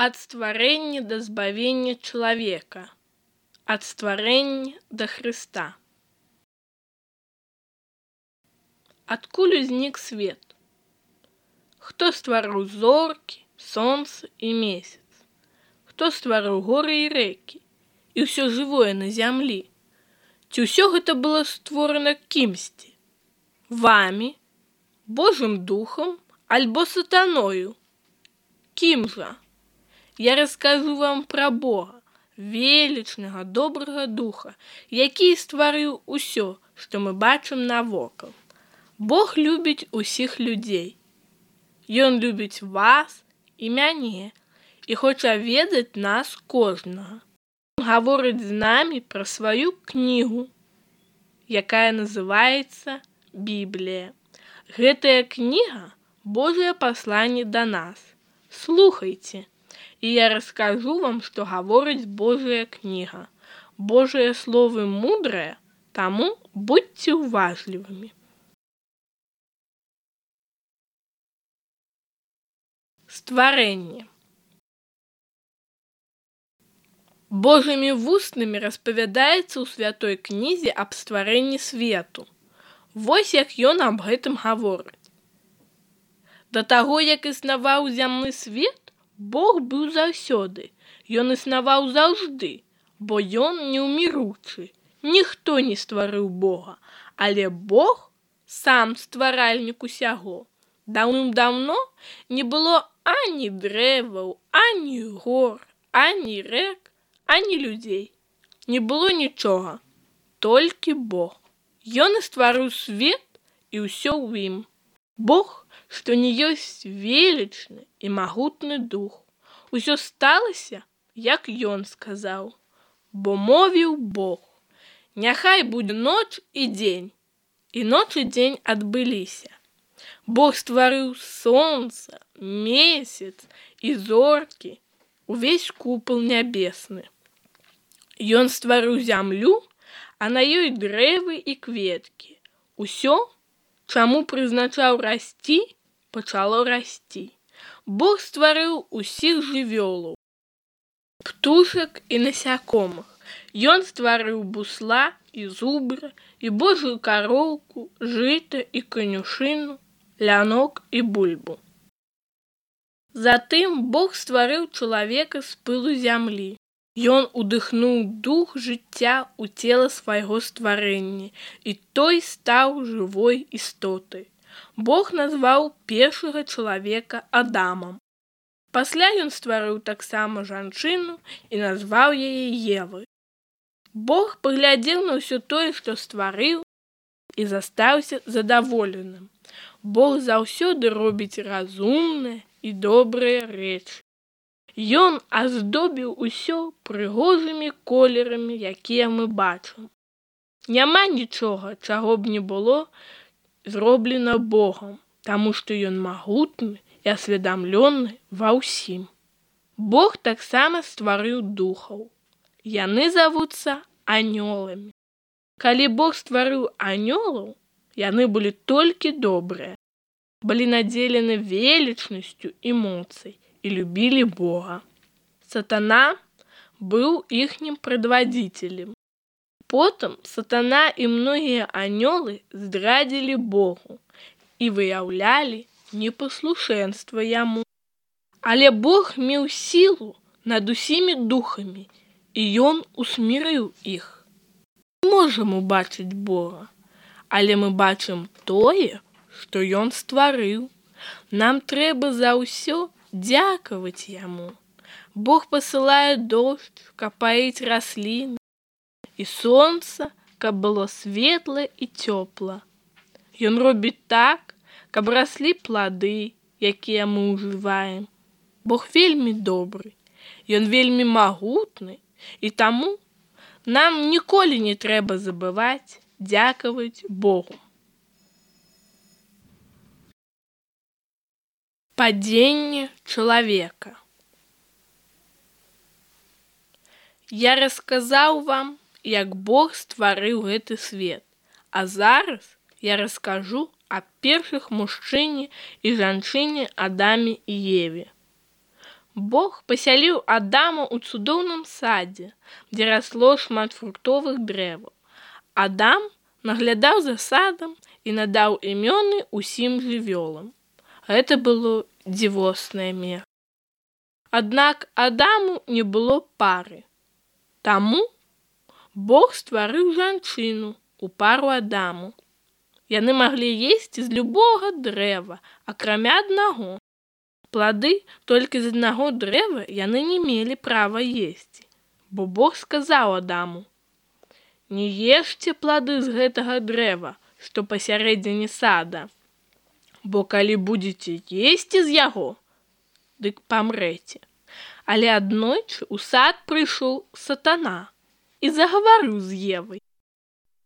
Ад стварэння да збавення чалавека, ад стварэння да Хрыста. Адкуль узнік свет? Хто стварыў зоркі, сонца і месяц? Хто стварыў горы і рэкі і ўсё жывое на зямлі? Ці ўсё гэта было створана кімсьці? Вамі, Божым духам альбо сатаною? Кім жа? Я раскажу вам пра Бога, велічнага, добрага духа, які стварыў усё, што мы бачым навокал. Бог любіць усіх людзей. Ён любіць вас і мяне і хоча ведаць нас кожнага. Ён гаворыць з намі пра сваю кнігу, якая называецца Біблія. Гэтая кніга – Божае пасланне да нас. Слухайце, і я раскажу вам, што гаворыць Божая кніга. Божыя словы мудрыя, таму будьце уважлівымі. Стварэнне. Божымі вуснамі распавядаецца ў святой кнізе аб стварэнні свету. Вось як ён аб гэтым гаворыць. Да таго, як існаваў зямны свет, Бог быў заўсёды, ён існаваў заўжды, бо ён неўміручы. Ніхто не стварыў Бога, але Бог сам стваральнік усяго. Даўным-даўно не было ані дрэваў, ані гор, ані рэк, ані людзей. Не было нічога, толькі Бог. Ён і стварыў свет і ўсё ў ім. Бог, што не ёсць велічны і магутны дух. Усё сталася, як ён сказаў, бо мовіў Бог. Няхай будзе ноч і дзень, і ноч і дзень адбыліся. Бог стварыў сонца, месяц і зоркі, увесь купал нябесны. Ён стварыў зямлю, а на ёй дрэвы і кветкі. Усё, чаму прызначаў расці, пачало расці. Бог стварыў усіх жывёлаў, птушак і насякомых. Ён стварыў бусла і зубра, і божую кароўку, жыта і канюшыну, лянок і бульбу. Затым Бог стварыў чалавека з пылу зямлі. Ён удыхнуў дух жыцця ў цела свайго стварэння, і той стаў жывой істотай. Бог назваў першага чалавека Адамам. Пасля ён стварыў таксама жанчыну і назваў яе Евай. Бог паглядзеў на ўсё тое, што стварыў, і застаўся задаволеным. Бог заўсёды робіць разумныя і добрыя рэчы. Ён аздобіў усё прыгожымі колерамі, якія мы бачым. Няма нічога, чаго б не было зроблена Богам, таму што ён магутны і асведамлёны ва ўсім. Бог таксама стварыў духаў. Яны завуцца анёламі. Калі Бог стварыў анёлаў, яны былі толькі добрыя, былі надзелены велічнасцю і моцай і любілі Бога. Сатана быў іхнім прадвадзіцелем. Потым сатана і многія анёлы здрадзілі Богу і выяўлялі непаслушэнства яму. Але Бог меў сілу над усімі духамі, і ён усмірыў іх. Мы можам убачыць Бога, але мы бачым тое, што ён стварыў. Нам трэба за ўсё дзякаваць яму. Бог пасылае дождж, каб паіць расліны, і сонца, каб было светла і цёпла. Ён робіць так, каб раслі плады, якія мы ўжываем. Бог вельмі добры, ён вельмі магутны, і таму нам ніколі не трэба забываць дзякаваць Богу. Падзенне чалавека. Я расказаў вам, як Бог стварыў гэты свет, а зараз я раскажу аб першых мужчыне і жанчыне Адаме і Еве. Бог пасяліў Адама ў цудоўным садзе, дзе расло шмат фруктовых дрэваў. Адам наглядаў за садам і надаў імёны ўсім жывёлам. Гэта было дзівоснае месца. Аднак Адаму не было пары. Таму Бог стварыў жанчыну у пару Адаму. Яны маглі есці з любога дрэва, акрамя аднаго. Плады толькі з аднаго дрэва яны не мелі права есці, бо Бог сказаў Адаму: «Не ешце плады з гэтага дрэва, што пасярэдзіне сада, бо калі будзеце есці з яго, дык памрэце». Але аднойчы ў сад прыйшоў сатана і загаварыў з Евай.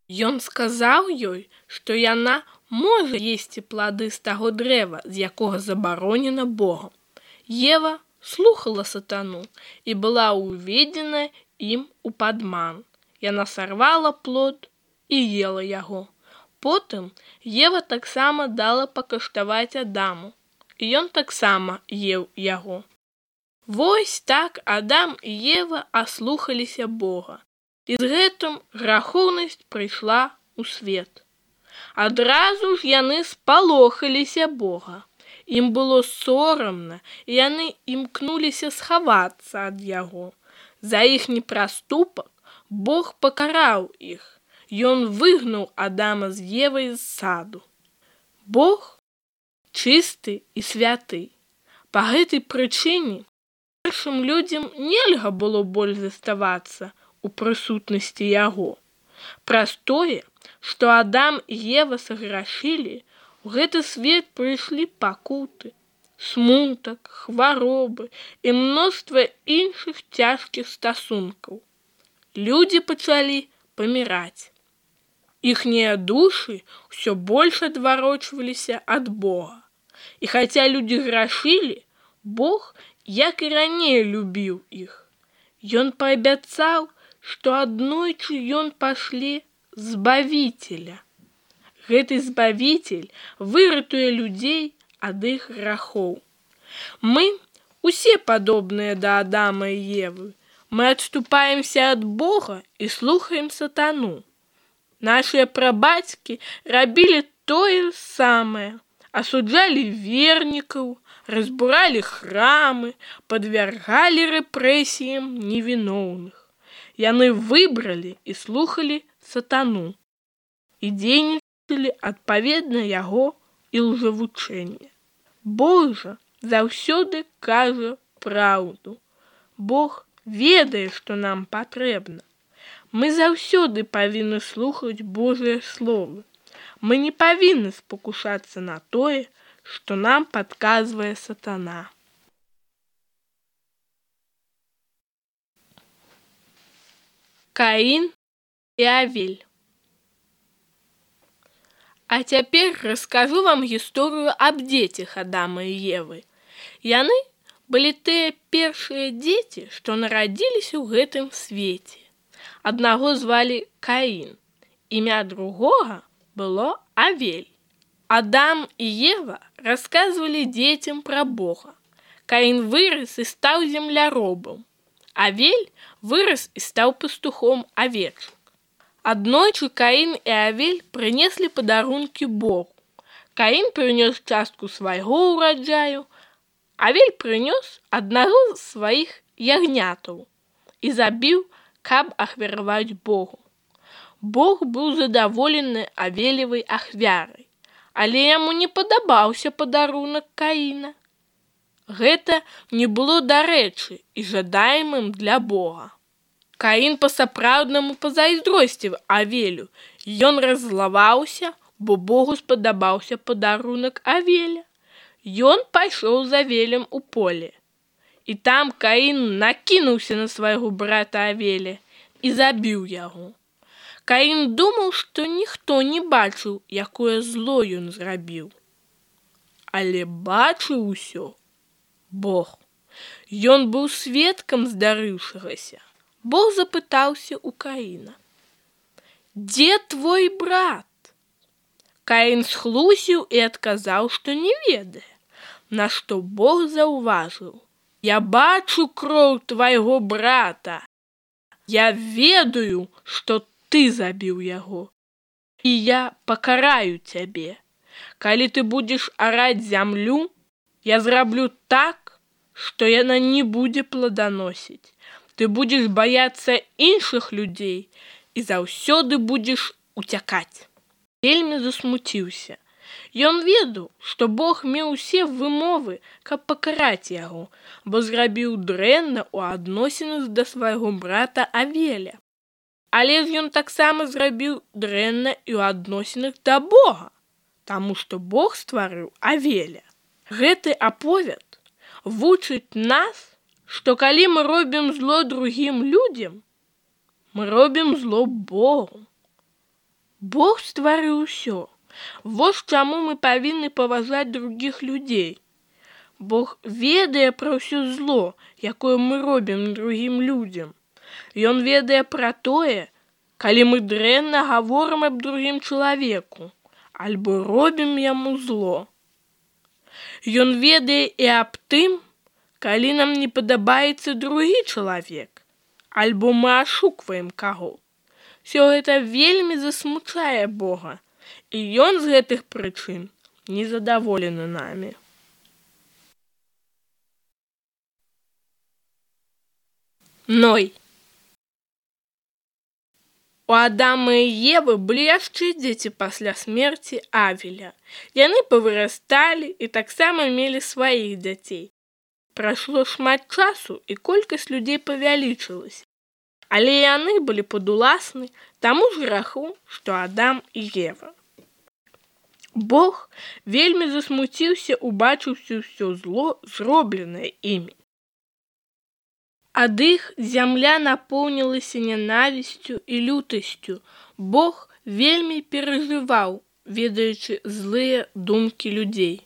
Ён сказаў ёй, што яна можа есці плады з таго дрэва, з якога забаронена Богам. Ева слухала сатану і была уведзена ім у падман. Яна сарвала плод і ела яго. Потым Ева таксама дала пакаштаваць Адаму, і ён таксама еў яго. Вось так Адам і Ева аслухаліся Бога, і з гэтым грахоўнасць прыйшла ў свет. Адразу ж яны спалохаліся Бога. Ім было сорамна, і яны імкнуліся схавацца ад яго. За іхні праступак Бог пакараў іх. Ён выгнаў Адама з Евай з саду. Бог чысты і святы. Па гэтай прычыне першым людзям нельга было больш заставацца у прысутнасці яго. Праз тое, што Адам і Ева саграшылі, у гэты свет прыйшлі пакуты, смутак, хваробы і мноства іншых цяжкіх стасункаў. Людзі пачалі паміраць. Іхнія душы ўсё больш адварочваліся ад Бога. І хаця людзі грашылі, Бог, як і раней, любіў іх. Ён паабяцаў, што аднойчы ён пашле Збавіцеля. Гэты Збавіцель выратуе людзей ад іх грахоў. Мы усе падобныя да Адама і Евы. Мы адступаемся ад Бога і слухаем сатану. Нашыя прабацькі рабілі тое самае, асуджалі вернікаў, разбуралі храмы, падвяргалі рэпрэсіям невіноўных. Яны выбралі і слухалі сатану і дзейнічалі адпаведна яго ілжэвучэння. Бог жа заўсёды кажа праўду. Бог ведае, што нам патрэбна. Мы заўсёды павінны слухаць Божыя словы. Мы не павінны спакушацца на тое, што нам падказвае сатана. Каін і Авель. А цяпер раскажу вам гісторыю аб дзецях Адама і Евы. Яны былі тыя першыя дзеці, што нарадзіліся ў гэтым свеце. Аднаго звалі Каін, імя другога было Авель. Адам і Ева расказвалі дзецям пра Бога. Каін вырас і стаў земляробам. Авель вырас і стаў пастухом авечак. Аднойчы Каін і Авель прынеслі падарункі Богу. Каін прынёс частку свайго ўраджаю, Авель прынёс аднаго з сваіх ягнятаў і забіў, каб ахвяраваць Богу. Бог быў задаволены Авелевай ахвярай, але яму не падабаўся падарунак Каіна. Гэта не было дарэчы і жадаемым для Бога. Каін па-сапраўднаму пазайздросціў Авелю. Ён раззлаваўся, бо Богу спадабаўся падарунак Авеля. Ён пайшоў за Авелем у поле. І там Каін накінуўся на свайго брата Авеля і забіў яго. Каін думаў, што ніхто не бачыў, якое зло ён зрабіў. Але бачыў усё Бог. Ён быў сведкам здарыўшагася. Бог запытаўся ў Каіна: «Дзе твой брат?» Каін схлусіў і адказаў, што не ведае, на што Бог заўважыў: Я бачу кроў твайго брата. Я ведаю, што ты забіў яго. І я пакараю цябе. Калі ты будзеш араць зямлю, я зраблю так, што яна не будзе плоданосіць. Ты будзеш баяцца іншых людзей і заўсёды будзеш уцякаць. Вельмі засмуціўся. Ён ведаў, што Бог меў усе вымовы, каб пакараць яго, бо зрабіў дрэнна ў адносінах да свайго брата Авеля. Але ж ён таксама зрабіў дрэнна і ў адносінах да Бога, таму што Бог стварыў Авеля. Гэты аповед вучыць нас, што калі мы робім зло другім людзям, мы робім зло Богу. Бог стварыў усё. Вось чаму мы павінны паважаць другіх людзей. Бог ведае пра ўсё зло, якое мы робім другім людзям. Ён ведае пра тое, калі мы дрэнна гаворым аб другім чалавеку, альбо робім яму зло. Ён ведае і аб тым, калі нам не падабаецца другі чалавек, альбо мы ашукваем каго. Усё гэта вельмі засмучае Бога, і ён з гэтых прычын незадаволены намі. Ной. У Адама і Евы былі яшчэ дзеці пасля смерці Авеля. Яны павырасталі і таксама мелі сваіх дзяцей. Прайшло шмат часу, і колькасць людзей павялічылася. Але яны былі падуласны таму ж граху, што Адам і Ева. Бог вельмі засмуціўся, убачыўшы ўсё зло, зробленае імі. Ад іх зямля напоўнілася нянавісцю і лютасцю. Бог вельмі перажываў, ведаючы злыя думкі людзей.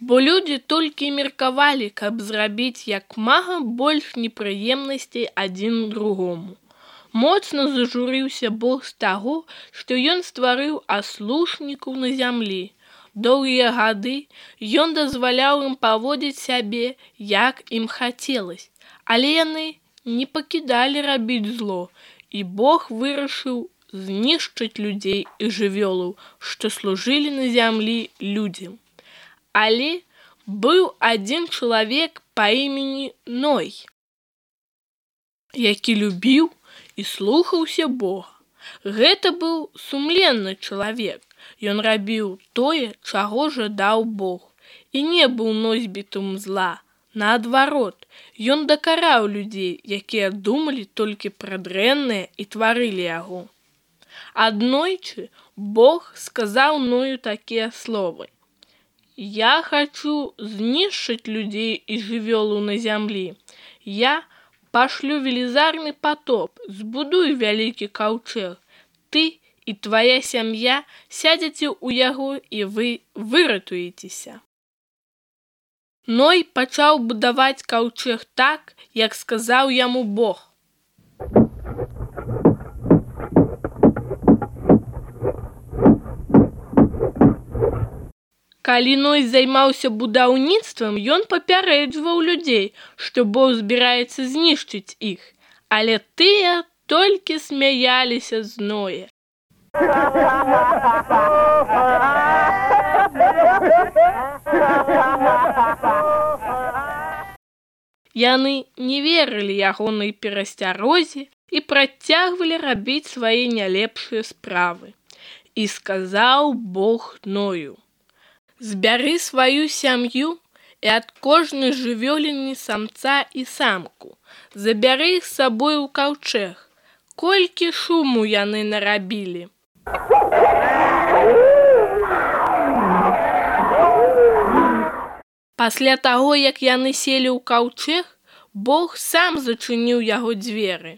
Бо людзі толькі меркавалі, каб зрабіць як мага больш непрыемнасцей адзін другому. Моцна зажурыўся Бог з таго, што ён стварыў аслушнікаў на зямлі. Доўгія гады ён дазваляў ім паводзіць сябе, як ім хацелася, але яны не пакідалі рабіць зло, і Бог вырашыў знішчыць людзей і жывёлаў, што служылі на зямлі людзям. Але быў адзін чалавек па імені Ной, які любіў і слухаўся Бога. Гэта быў сумленны чалавек. Ён рабіў тое, чаго жадаў Бог, і не быў носьбітам зла. Наадварот, ён дакараў людзей, якія думалі толькі пра дрэннае і тварылі яго. Аднойчы Бог сказаў Ною такія словы: «Я хачу знішчыць людзей і жывёлу на зямлі. Я пашлю велізарны патоп, збудуй вялікі каўчэг. Ты і твая сям'я сядзеце ў яго, і вы выратуецеся». Ной пачаў будаваць каўчэг так, як сказаў яму Бог. Калі Ной займаўся будаўніцтвам, ён папярэджваў людзей, што Бог збіраецца знішчыць іх, але тыя толькі смяяліся з Ноя. Яны не верылі ягонай перасцярозе і працягвалі рабіць свае нялепшыя справы. І сказаў Бог Ною: «Збяры сваю сям'ю і ад кожнай жывёліны самца і самку. Забяры іх з сабой у каўчэг. Колькі шуму яны нарабілі». Пасля таго, як яны селі ў каўчэг, Бог сам зачыніў яго дзверы.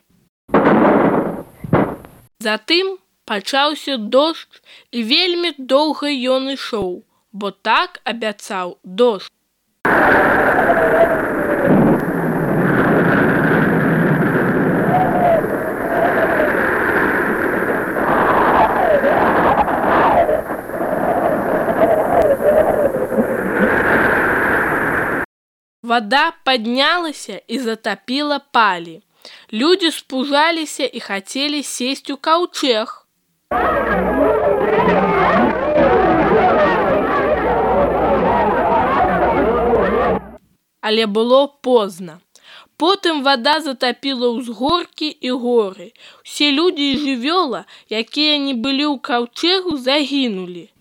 Затым пачаўся дождж, і вельмі доўга ён ішоў, бо так абяцаў дождж. Вода поднялася и затопила пали. Люди спужаліся и хотели сесть у каўчэг. Але было поздно. Потым вода затопила ўзгоркі і горы. Усе людзі і жывёла, якія не былі ў каўчэгу, загінулі.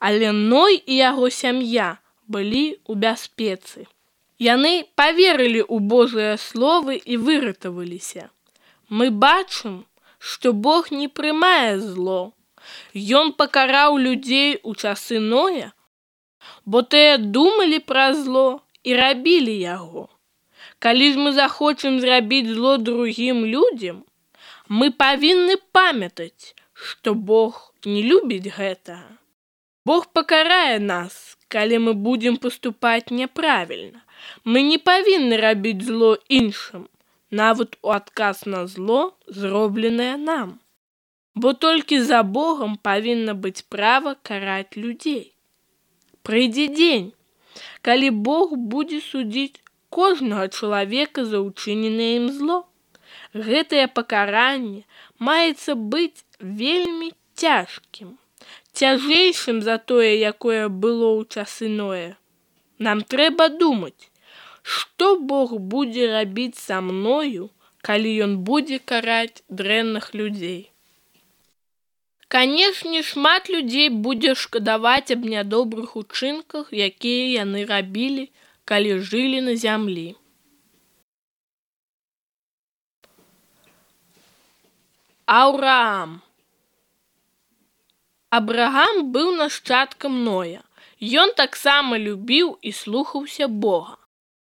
Але Ной і яго сям'я былі ў бяспецы. Яны паверылі ў Божыя словы і выратаваліся. Мы бачым, што Бог не прымае зло. Ён пакараў людзей у часы Ноя, бо тыя думалі пра зло і рабілі яго. Калі ж мы захочам зрабіць зло другім людзям, мы павінны памятаць, што Бог не любіць гэтага. Бог пакарае нас, калі мы будзем паступаць няправільна. Мы не павінны рабіць зло іншым, нават у адказ на зло, зробленае нам. Бо толькі за Богом павінна быць права караць людзей. Прыйдзе дзень, калі Бог будзе судзіць кожнага чалавека за ўчыненае ім зло. Гэтае пакаранне маецца быць вельмі цяжкім, цяжэйшым за тое, якое было ў часы Ноя. Нам трэба думаць, што Бог будзе рабіць са мною, калі ён будзе караць дрэнных людзей. Канешне, шмат людзей будзе шкадаваць аб нядобрых учынках, якія яны рабілі, калі жылі на зямлі. Аўраам. Абрагам быў нашчадкам Ноя. Ён таксама любіў і слухаўся Бога.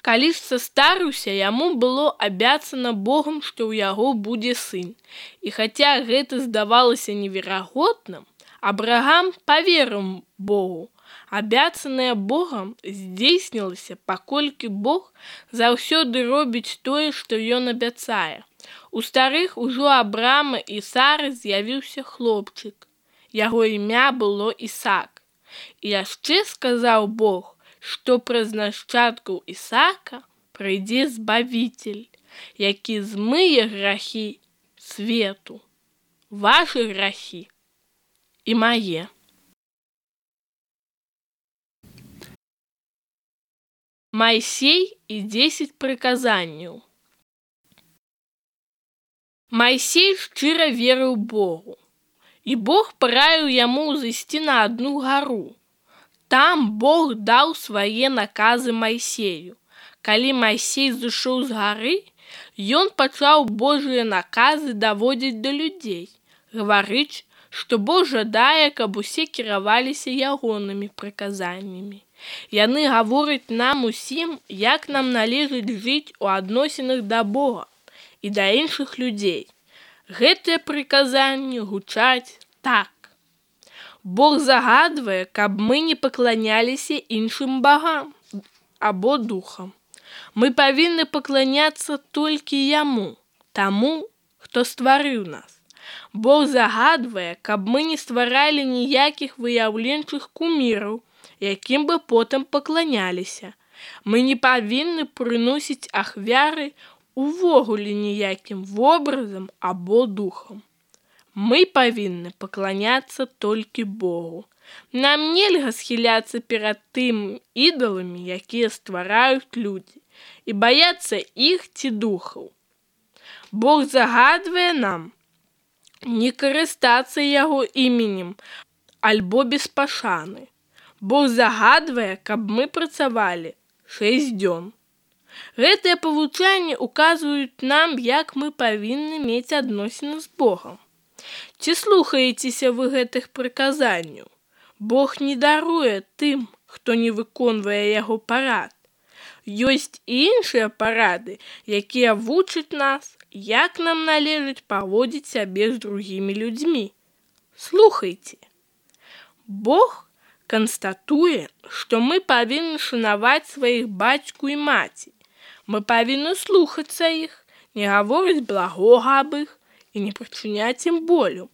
Калі ж састарыўся, яму было абяцана Богам, што ў яго будзе сын. І хаця гэта здавалася неверагодным, Абрагам паверыў Богу. Абяцанае Богам здзейснілася, паколькі Бог заўсёды робіць тое, што ён абяцае. У старых ужо Абрама і Сары з'явіўся хлопчык. Яго імя было Ісак. І яшчэ сказаў Бог, што праз нашчадкаў Ісака прыйдзе Збавіцель, які змые грахі свету, вашы грахі і мае. Майсей і 10 прыказанняў. Майсей шчыра верыў Богу, і Бог параіў яму зайсці на адну гару. Там Бог даў свае наказы Майсею. Калі Майсей зышоў з гары, ён пачаў Божыя наказы даводзіць да людзей, гаварыць, што Бог жадае, каб усе кіраваліся ягонымі прыказаннямі. Яны гавораць нам усім, як нам належыць жыць у адносінах да Бога і да іншых людзей. Гэтыя прыказанні гучаць так. Бог загадвае, каб мы не пакланяліся іншым багам або духам. Мы павінны пакланяцца толькі Яму, таму, хто стварыў нас. Бог загадвае, каб мы не стваралі ніякіх выяўленчых куміраў, якім бы потым пакланяліся. Мы не павінны прыносіць ахвяры увогуле ніякім вобразам або духам. Мы павінны пакланяцца толькі Богу. Нам нельга схіляцца перад тым ідаламі, якія ствараюць людзі, і баяцца іх ці духаў. Бог загадвае нам не карыстацца яго іменем альбо без пашаны. Бог загадвае, каб мы працавалі 6 дзён. Гэтыя павучанні указваюць нам, як мы павінны мець адносіны з Богам. Ці слухаецеся вы гэтых прыказанняў? Бог не даруе тым, хто не выконвае яго парад. Ёсць і іншыя парады, якія вучаць нас, як нам належыць паводзіць сябе з другімі людзьмі. Слухайце. Бог канстатуе, што мы павінны шанаваць сваіх бацьку і маці. Мы павінны слухацца іх, не гаворыць благога аб іх і не прычыняць ім болю.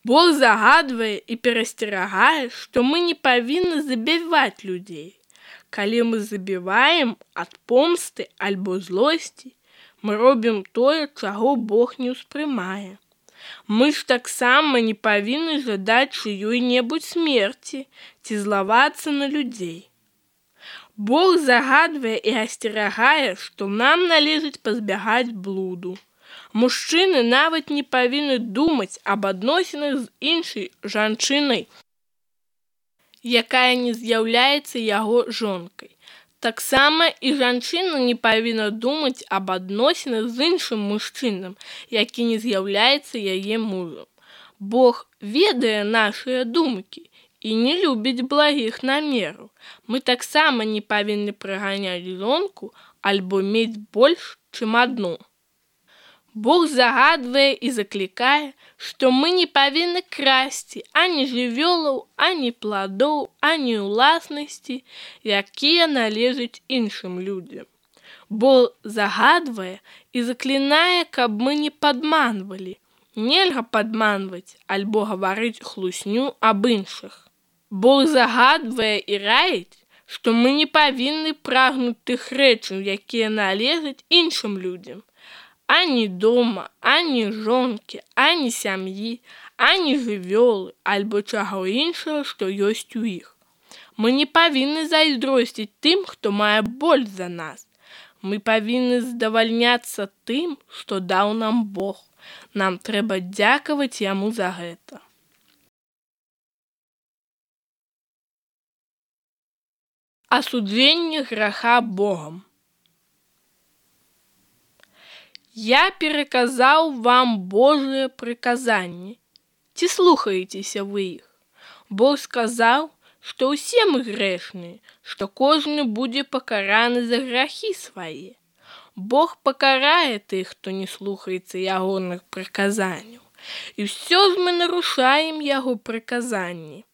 Бог загадвае і перасцерагае, што мы не павінны забіваць людзей. Калі мы забіваем ад помсты альбо злосці, мы робім тое, чаго Бог не ўспрымае. Мы ж таксама не павінны жадаць чыёй-небудзь смерці ці злавацца на людзей. Бог загадвае і асцерагае, што нам належыць пазбягаць блуду. Мужчыны нават не павінны думаць аб адносінах з іншай жанчынай, якая не з'яўляецца яго жонкай. Таксама і жанчына не павінна думаць аб адносінах з іншым мужчынам, які не з'яўляецца яе мужам. Бог ведае нашыя думкі і не любіць благіх намераў. Мы таксама не павінны праганяць жонку альбо мець больш, чым адну. Бог загадвае і заклікае, што мы не павінны красці ані жывёлаў, ані пладоў, ані ўласнасці, якія належаць іншым людзям. Бог загадвае і заклінае, каб мы не падманвалі. Нельга падманваць альбо гаварыць хлусню аб іншых. Бог загадвае і раіць, што мы не павінны прагнуць тых рэчаў, якія належаць іншым людзям. Ані дома, ані жонкі, ані сям'і, ані жывёлы, альбо чаго іншага, што ёсць у іх. Мы не павінны зайздросціць тым, хто мае больш за нас. Мы павінны задавальняцца тым, што даў нам Бог. Нам трэба дзякаваць яму за гэта. Асуджэнне граха Богам. Я пераказаў вам Божыя прыказанні. Ці слухаецеся вы іх? Бог сказаў, што ўсе мы грэшныя, што кожны будзе пакараны за грахі свае. Бог пакарае тых, хто не слухаецца ягоных прыказанняў. І ўсё ж мы нарушаем яго прыказанні.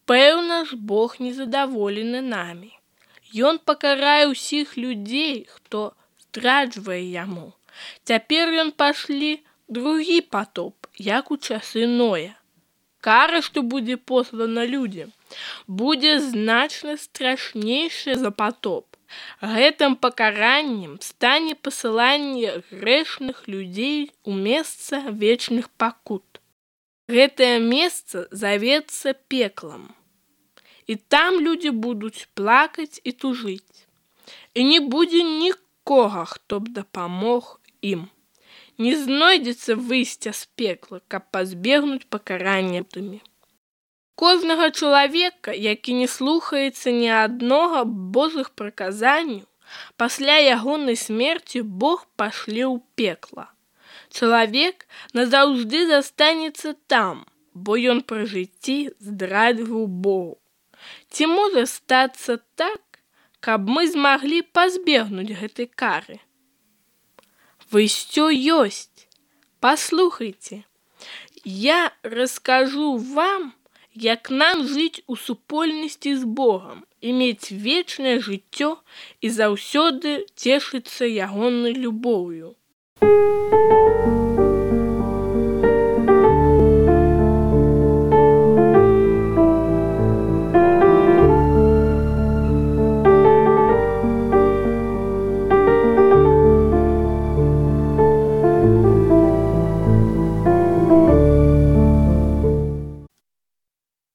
Пэўна ж, Бог незадаволены намі. Ён пакарае ўсіх людзей, хто здраджвае яму. Цяпер ён пашлі другі патоп, як у часы Ноя. Кара, што будзе послана людзям, будзе значна страшнейшая за патоп. Гэтым пакараннем стане пасыланне грэшных людзей у месца вечных пакут. Гэтае месца завецца пеклам. І там людзі будуць плакаць і тужыць. І не будзе нікога, хто б дапамог ім. Не знойдзецца выйсця з пекла, каб пазбегнуць пакарання тымі. Кожнага чалавека, які не слухаецца ні аднога Божых прыказанняў, пасля ягонай смерці Бог пашле ў пекла. Чалавек назаўжды застанецца там, бо ён пры жыцці здрадзіў Богу. Ці можа стацца так, каб мы змаглі пазбегнуць гэтай кары? Выйсцё ёсць. Паслухайце. Я раскажу вам, як нам жыць у супольнасці з Богам і мець вечнае жыццё і заўсёды цешыцца ягонай любоўю.